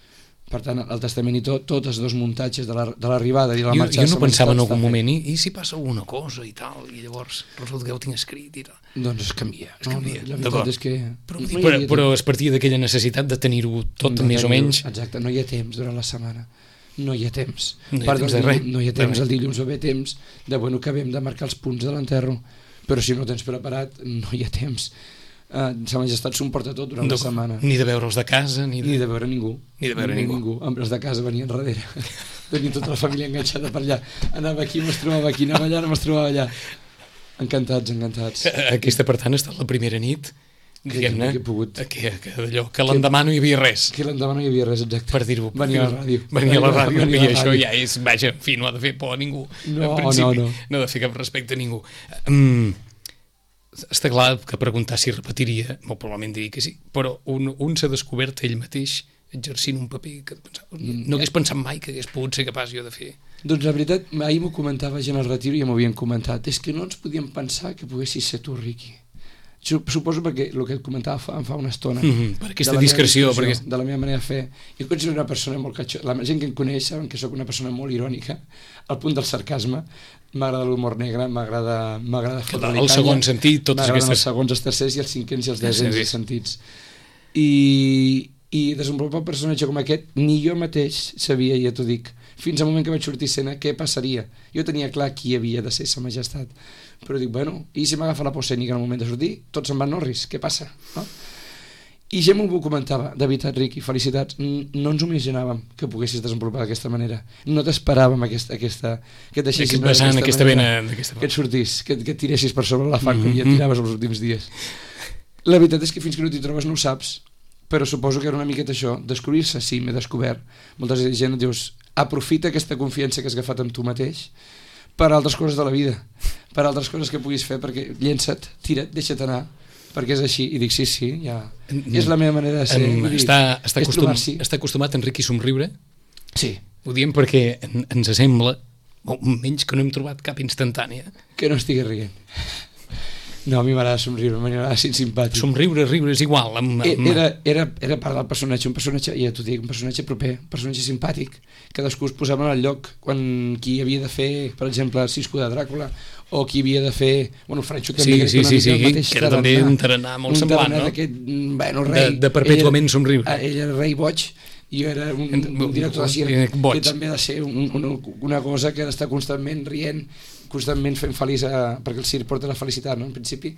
[SPEAKER 3] Per tant, el testament i tots els dos muntatges de l'arribada i de la marxa...
[SPEAKER 2] Jo no pensava en algun moment, i si passa alguna cosa i tal, i llavors resulta que ho tinc escrit i tal.
[SPEAKER 3] Doncs es canvia.
[SPEAKER 2] D'acord. Però es partia d'aquella necessitat de tenir-ho tot més o menys...
[SPEAKER 3] Exacte, no hi ha temps durant la setmana. No hi ha temps.
[SPEAKER 2] No hi ha temps de res.
[SPEAKER 3] No hi ha temps, el dilluns va haver temps de, bueno, que acabem de marcar els punts de l'enterro, però si no ho tens preparat, no hi ha temps. Sa majestat s'ho emporta tot durant la setmana.
[SPEAKER 2] Ni de veure'ls de casa, ni de
[SPEAKER 3] veure ningú. Els de casa venien darrere. Venien tota la família enganxada per allà. Anava aquí, me'ls trobava aquí, anava allà, me'ls trobava allà. Encantats.
[SPEAKER 2] Aquesta, per tant, ha estat la primera nit, diguem-ne, que l'endemà no hi havia res.
[SPEAKER 3] Que l'endemà no hi havia res, exacte.
[SPEAKER 2] Per dir-ho.
[SPEAKER 3] Venia a la ràdio.
[SPEAKER 2] I això ja és, vaja, en fi, no ha de fer por a ningú.
[SPEAKER 3] No
[SPEAKER 2] ha de fer cap respecte a ningú. Està clar que preguntar si repetiria, molt probablement diria que sí, però un s'ha descobert ell mateix exercint un paper que no hagués pensat mai que hagués pogut ser capaç jo de fer.
[SPEAKER 3] Doncs la veritat, ahir m'ho comentava gent al retiro i ja m'ho havien comentat, és que no ens podíem pensar que poguessis ser tu, Riqui. Suposo perquè el que et comentava em fa una estona,
[SPEAKER 2] per aquesta discreció,
[SPEAKER 3] de la meva manera de fer. Jo considero una persona molt la gent que em coneix saben que sóc una persona molt irònica, al punt del sarcasme. M'agrada l'humor negre, m'agrada fotre-li canya,
[SPEAKER 2] el segon sentit,
[SPEAKER 3] m'agraden els segons, els tercers i els cinquens i els desens sentits. I desenvolupar un personatge com aquest ni jo mateix sabia, ja t'ho dic, fins al moment que vaig sortir a escena, què passaria? Jo tenia clar qui havia de ser Sa Majestat, però dic, bueno, i si m'agafa la por escènica en el moment de sortir, tots se'n van Norris, què passa? No? I ja m'ho comentava, de veritat, Riqui, felicitats, no ens ho imaginàvem que poguessis desenvolupar d'aquesta manera, no t'esperàvem que et deixessis
[SPEAKER 2] d'aquesta vena,
[SPEAKER 3] que et sortís, que et tiressis per sobre la fang que ja tiraves els últims dies. La veritat és que fins que no t'hi trobes no ho saps, però suposo que era una miqueta això, descobrir-se, sí, m'he descobert, molta gent et dius, aprofita aquesta confiança que has agafat amb tu mateix per altres coses de la vida, per altres coses que puguis fer, perquè llença't, tira't, deixa't anar, perquè és així, i dic sí, ja és la meva manera de ser.
[SPEAKER 2] Està acostumat en Riqui somriure?
[SPEAKER 3] Sí.
[SPEAKER 2] Ho diem perquè ens sembla, menys que no hem trobat cap instantània,
[SPEAKER 3] que no estigui rient. No, a mi m'agrada somriure, m'agrada ser simpàtic.
[SPEAKER 2] Somriure, riure és igual.
[SPEAKER 3] Era part del personatge, un personatge, ja t'ho dic, un personatge proper, un personatge simpàtic. Cadascú es posava en el lloc quan qui havia de fer, per exemple, Cisco de Dràcula, o qui havia de fer, bueno, Franxo també,
[SPEAKER 2] sí, que era també un tarannà molt semblant, no?
[SPEAKER 3] D'aquest, bueno, rei.
[SPEAKER 2] De perpètuament somriure.
[SPEAKER 3] Ell era rei boig, i jo era un director de circ, que també ha de ser una cosa que ha d'estar constantment rient, constantment fent feliç, perquè el circ porta la felicitat, no? En principi,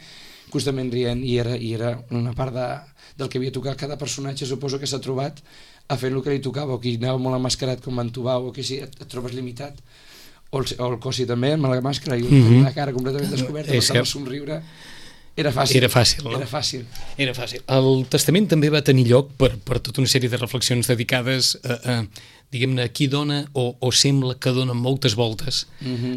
[SPEAKER 3] constantment rient, i era una part del que havia tocat. Cada personatge suposo que s'ha trobat a fer el que li tocava, o qui anava molt emmascarat com en Tubau, o que si et trobes limitat, o el Cosi també, amb la màscara i la cara completament descoberta, per somriure. Era fàcil.
[SPEAKER 2] El testament també va tenir lloc per tota una sèrie de reflexions dedicades a diguem-ne, qui dona o sembla que dona moltes voltes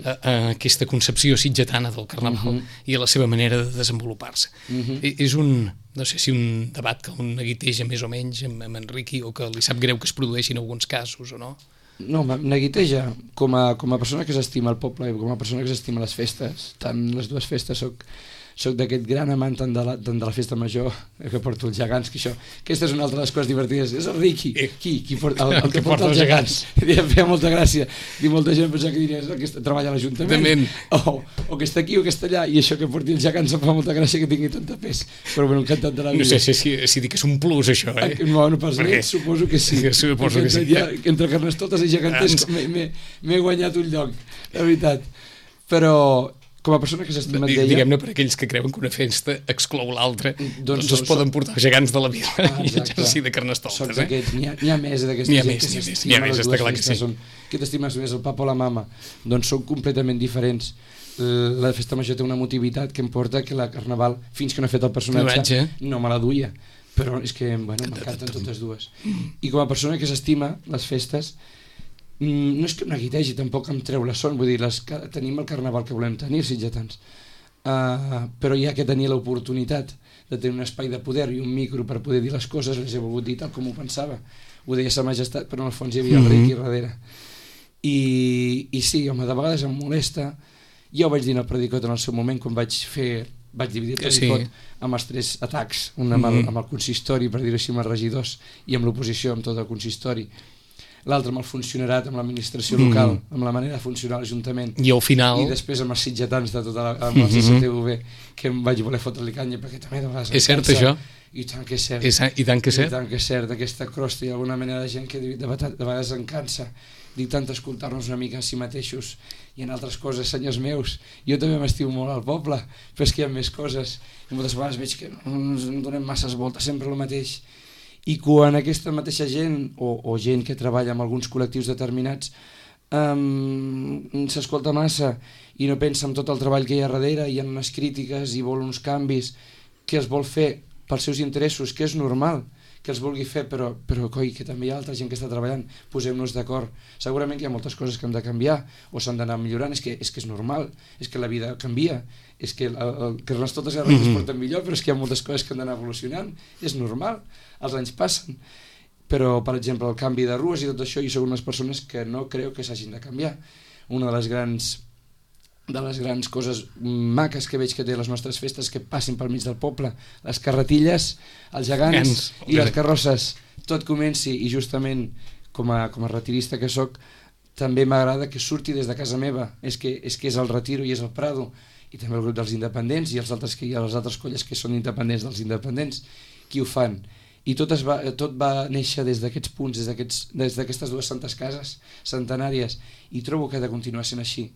[SPEAKER 2] a aquesta concepció sitgetana del carnaval i a la seva manera de desenvolupar-se. És no sé si un debat que un neguiteja més o menys amb en Riqui, o que li sap greu que es produeixin alguns casos o no?
[SPEAKER 3] No, neguiteja, com a persona que s'estima el poble i com a persona que s'estima les festes, tant les dues festes soc d'aquest gran amant tant de la festa major que porto els gegants, que aquesta és una altra de les coses divertides, és el Riqui, qui porta el que porta els gegants. Em feia molta gràcia, i molta gent pensava que diria que treballa a l'Ajuntament, o que està aquí o que està allà, i això que porti els gegants em fa molta gràcia que tingui tanta pes, però bueno, encantat de la vida.
[SPEAKER 2] No sé si dic que és un plus això,
[SPEAKER 3] no pas res, suposo que sí. Entre Carnestoltes i geganters m'he guanyat un lloc, la veritat. Però com a persona que s'estima d'ella...
[SPEAKER 2] Diguem-ne, per aquells que creuen que una festa exclou l'altra, doncs es poden portar gegants de la vida i exercir de Carnestoltes.
[SPEAKER 3] N'hi ha més d'aquesta gent que s'estimen les dues festes, que t'estimes més el papa o la mama, doncs són completament diferents. La festa major té una motivitat que em porta que la Carnaval, fins que no he fet el personatge, no me la duia, però és que m'encanten totes dues. I com a persona que s'estima les festes, no és que neguitegi, tampoc em treu la son, vull dir, tenim el carnaval que volem tenir, sitgetans, però hi ha que tenir l'oportunitat de tenir un espai de poder i un micro per poder dir les coses, les he volgut dir tal com ho pensava, ho deia Sa Majestat, però en el fons hi havia el Riqui darrere, i sí, home, de vegades em molesta. Ja ho vaig dir en el Predicot en el seu moment, quan vaig dividir el Predicot amb els 3 atacs, un amb el consistori, per dir-ho així, amb els regidors, i amb l'oposició, amb tot el consistori, l'altre amb el funcionarat, amb l'administració local, amb la manera de funcionar l'Ajuntament,
[SPEAKER 2] i al final...
[SPEAKER 3] i després amb els sitgetans de tota amb el CCTV, que em vaig voler fotre-li canya, perquè també de vegades...
[SPEAKER 2] És cert, això?
[SPEAKER 3] I tant que és cert.
[SPEAKER 2] I tant que és cert?
[SPEAKER 3] I tant que és cert, aquesta crosta i alguna manera de gent que de vegades en cansa, dic tant escoltar-nos una mica a si mateixos i en altres coses, senyors meus, jo també m'estimo molt al poble, però és que hi ha més coses, i moltes vegades veig que no ens donem masses voltes, sempre el mateix. I quan aquesta mateixa gent, o gent que treballa amb alguns col·lectius determinats, s'escolta massa i no pensa en tot el treball que hi ha darrere, hi ha unes crítiques i vol uns canvis que els vol fer pels seus interessos, que és normal que els vulgui fer, però coi, que també hi ha altra gent que està treballant, posem-nos d'acord. Segurament que hi ha moltes coses que hem de canviar o s'han d'anar millorant, és que és normal, és que la vida canvia, és que Carnestoltes i Reis es porten millor, però és que hi ha moltes coses que han d'anar evolucionant, és normal, els anys passen. Però, per exemple, el canvi de rues i tot això, jo soc unes persones que no creu que s'hagin de canviar. Una de les grans coses maques que veig que té les nostres festes que passin pel mig del poble, les carretilles, els gegants i les carrosses, tot comenci, i justament com a retirista que sóc, també m'agrada que surti des de casa meva, és que és el Retiro i és el Prado, i també el grup dels independents i les altres colles que són independents dels independents, qui ho fan. i tot va néixer des d'aquests punts, des d'aquestes dues santes cases centenàries, i trobo que ha de continuar sent així.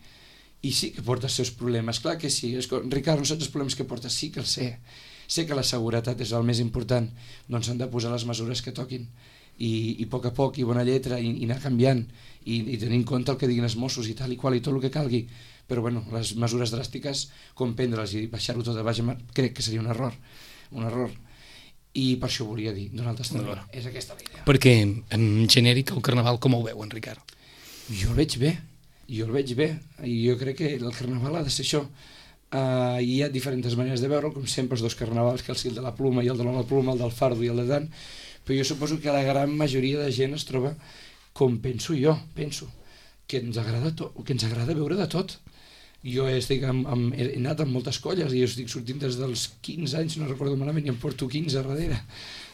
[SPEAKER 3] I sí que porta els seus problemes, clar que sí. Ricard, no saps els problemes que porta? Sí que els sé que la seguretat és el més important, doncs s'han de posar les mesures que toquin, i a poc, i bona lletra, i anar canviant, i tenir en compte el que diguin els Mossos i tal i qual, i tot el que calgui. Però bueno, les mesures dràstiques, com prendre-les i baixar-ho tot a baix, crec que seria un error. I per això volia dir, Donald Estador, és aquesta la idea.
[SPEAKER 2] Perquè, en genèric, el Carnaval com ho veu, en Ricard?
[SPEAKER 3] Jo el veig bé, i jo crec que el Carnaval ha de ser això. Hi ha diferents maneres de veure'l, com sempre els dos carnavals, que el de la pluma i el de la pluma, el del fardo i el de tant, però jo suposo que la gran majoria de gent es troba com penso jo, que ens agrada veure de tot. Jo he anat amb moltes colles i jo estic sortint des dels 15 anys, no recordo malament, i em porto 15 darrere,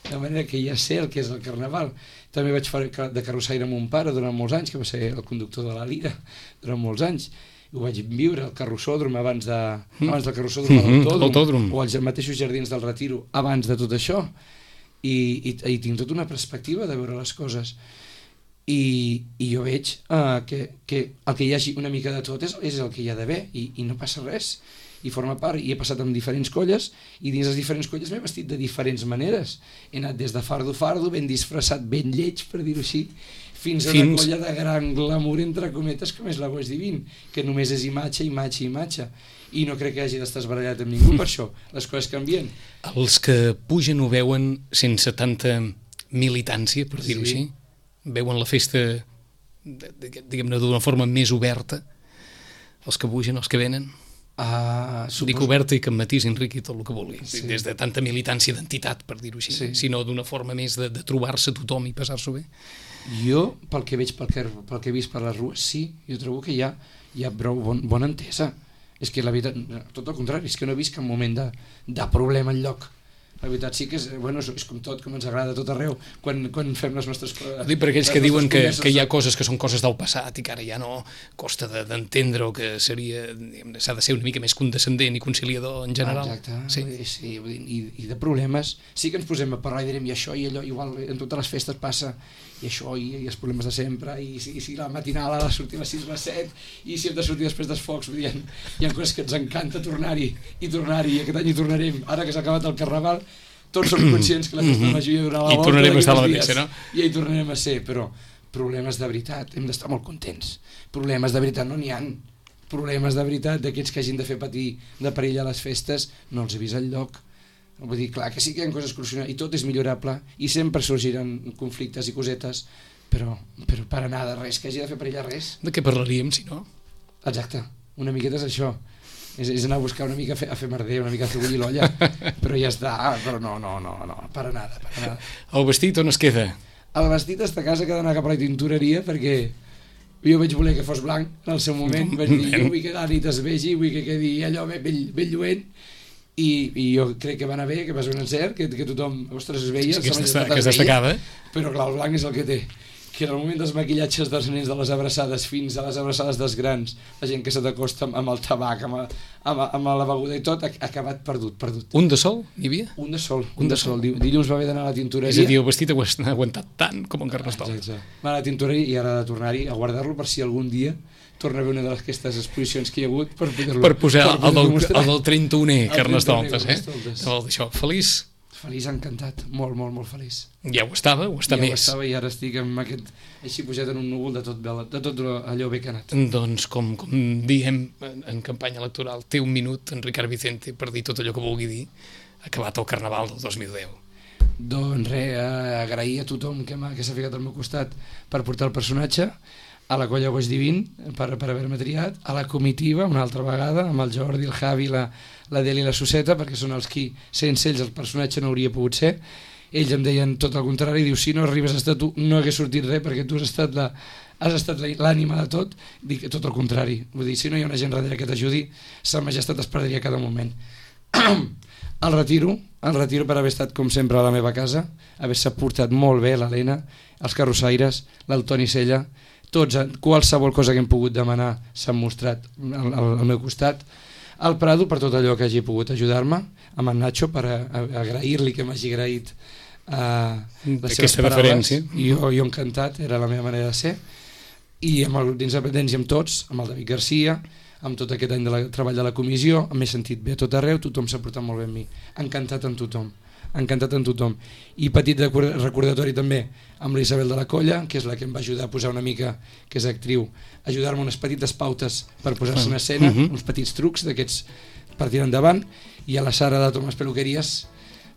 [SPEAKER 3] de manera que ja sé el que és el Carnaval. També vaig fer de carrossaire amb mon pare durant molts anys, que va ser el conductor de la Lira durant molts anys. Ho vaig viure al carrossòdrom abans del carrossòdrom a l'Autòdrom, o als mateixos jardins del Retiro abans de tot això, i tinc tota una perspectiva de veure les coses. I jo veig que el que hi hagi una mica de tot és el que hi ha d'haver, i no passa res, i forma part. I he passat amb diferents colles, i dins les diferents colles m'he vestit de diferents maneres. He anat des de fardo, ben disfressat, ben lleig, per dir-ho així, fins a una colla de gran glamour, entre cometes, com és la Goix Divin, que només és imatge, i no crec que hagi d'estar esbarallat amb ningú per això. Les coses canvien.
[SPEAKER 2] Els que pugen ho veuen sense tanta militància, per dir-ho així? Veuen la festa, diguem-ne, d'una forma més oberta, els que pugen, els que venen? Dic oberta i que em matís, Enric, i tot el que vulgui, des de tanta militància d'entitat, per dir-ho així, sinó d'una forma més de trobar-se tothom i passar-s'ho bé.
[SPEAKER 3] Jo, pel que veig, pel que he vist per les rues, sí, jo trobo que hi ha prou bona entesa. És que la veritat, tot el contrari, és que no he vist cap moment de problema enlloc. La veritat sí que és com tot, com ens agrada a tot arreu, quan fem les nostres coses.
[SPEAKER 2] Dic per aquells que diuen que hi ha coses que són coses del passat i que ara ja no costa d'entendre, o que s'ha de ser una mica més condescendent i conciliador en general.
[SPEAKER 3] Exacte, sí, i de problemes sí que ens posem a parlar i direm i això i allò, igual en totes les festes passa, i això, i els problemes de sempre, i si la matinal ha de sortir a les 6 o a les 7, i si hem de sortir després dels focs, hi ha coses que ens encanta tornar-hi, i aquest any hi tornarem, ara que s'ha acabat el Carnaval, tots som conscients que la festa major hi haurà la volta,
[SPEAKER 2] i tornarem a estar a la mateixa, no?
[SPEAKER 3] I hi tornarem a ser, però problemes de veritat, hem d'estar molt contents. Problemes de veritat no n'hi ha. Problemes de veritat d'aquests que hagin de fer patir de perill a les festes, no els he vist enlloc. Vull dir, clar que sí que hi ha coses crucials i tot és millorable i sempre sorgiran conflictes i cosetes, però per anar de res, que hagi de fer perillar res.
[SPEAKER 2] De què parlaríem, si no?
[SPEAKER 3] Exacte, una miqueta és això. És anar a buscar una mica a fer merder, una mica a fer bullir l'olla, però ja està, però no, para nada.
[SPEAKER 2] El vestit on es queda?
[SPEAKER 3] El vestit està a casa, que ha d'anar cap a la tintoreria, perquè jo vaig voler que fos blanc en el seu moment, vaig dir, jo vull que la nit es vegi, vull que quedi allò ben lluent, i jo crec que va anar bé, que va ser un encert, que tothom, ostres, es veia,
[SPEAKER 2] que es destacava,
[SPEAKER 3] però clar, el blanc és el que té, que en el moment dels maquillatges dels nens, de les abraçades fins a les abraçades dels grans, la gent que se t'acosta amb el tabac, amb la beguda i tot, ha acabat perdut.
[SPEAKER 2] Un de sol n'hi havia?
[SPEAKER 3] Un de sol. Dilluns va haver d'anar a la tintoreria.
[SPEAKER 2] És a dir, el vestit ha aguantat tant com en Carnestoltes.
[SPEAKER 3] Va a la tintoreria i ara ha de tornar-hi a guardar-lo per si algun dia torna a haver una d'aquestes exposicions que hi ha hagut
[SPEAKER 2] per posar el del 31è Carnestoltes, Això,
[SPEAKER 3] feliç, encantat, molt feliç.
[SPEAKER 2] Ja ho estava, o està més?
[SPEAKER 3] Ja ho estava, i ara estic amb aquest, així pujat en un núvol de tot allò bé que ha anat.
[SPEAKER 2] Doncs, com diem en campanya electoral, té un minut en Ricard Vicente per dir tot allò que vulgui dir, acabat el Carnaval del 2010.
[SPEAKER 3] Doncs res, agrair a tothom que s'ha ficat al meu costat per portar el personatge, a la colla Goix Divin per haver-me triat, a la comitiva una altra vegada, amb el Jordi, el Javi, la Deli i la Suseta, perquè són els qui, sense ells el personatge no hauria pogut ser. Ells em deien tot el contrari, diu, si no arribes a estar tu no hagués sortit res, perquè tu has estat l'ànima de tot. Dic tot el contrari, vull dir, si no hi ha una gent darrere que t'ajudi, sa majestat es perdria cada moment. El retiro per haver estat com sempre a la meva casa, haver-se portat molt bé l'Helena, els carrossaires, l'Altoni Sella, tots, qualsevol cosa que hem pogut demanar s'han mostrat al meu costat, al Prado per tot allò que hagi pogut ajudar-me, amb en Nacho per agrair-li que m'hagi agraït les seves paraules. Jo encantat, era la meva manera de ser. I dins de Pendents i amb tots, amb el David Garcia, amb tot aquest any de treball de la comissió, m'he sentit bé a tot arreu, tothom s'ha portat molt bé amb mi. Encantat amb tothom. I petit recordatori també amb l'Isabel de la Colla, que és la que em va ajudar a posar una mica, que és actriu, ajudar-me unes petites pautes per posar-se en escena, uns petits trucs d'aquests per tirar endavant, i a la Sara de Tomàs Peluqueries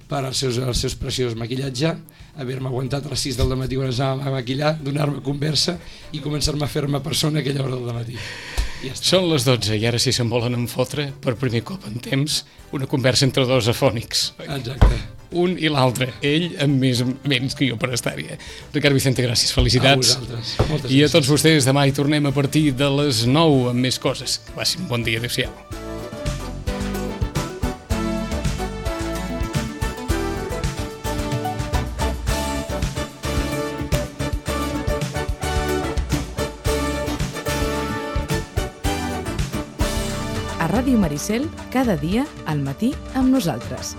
[SPEAKER 3] per als seus preciosos maquillatge, haver-me aguantat a les 6 del matí quan ens anàvem a maquillar, donar-me conversa i començar-me a fer-me persona a aquella hora del matí. Ja
[SPEAKER 2] són les 12 i ara si se'n volen enfotre, per primer cop en temps, una conversa entre dos afònics.
[SPEAKER 3] Exacte.
[SPEAKER 2] Un i l'altre, ell amb més menys que jo per estar-hi. Ricard Vicente, gràcies, felicitats.
[SPEAKER 3] A vosaltres. Moltes gràcies.
[SPEAKER 2] I a tots vostès, demà hi tornem a partir de les 9 amb més coses. Que passi un bon dia, adéu-siau.
[SPEAKER 1] A Ràdio Maricel, cada dia al matí amb nosaltres.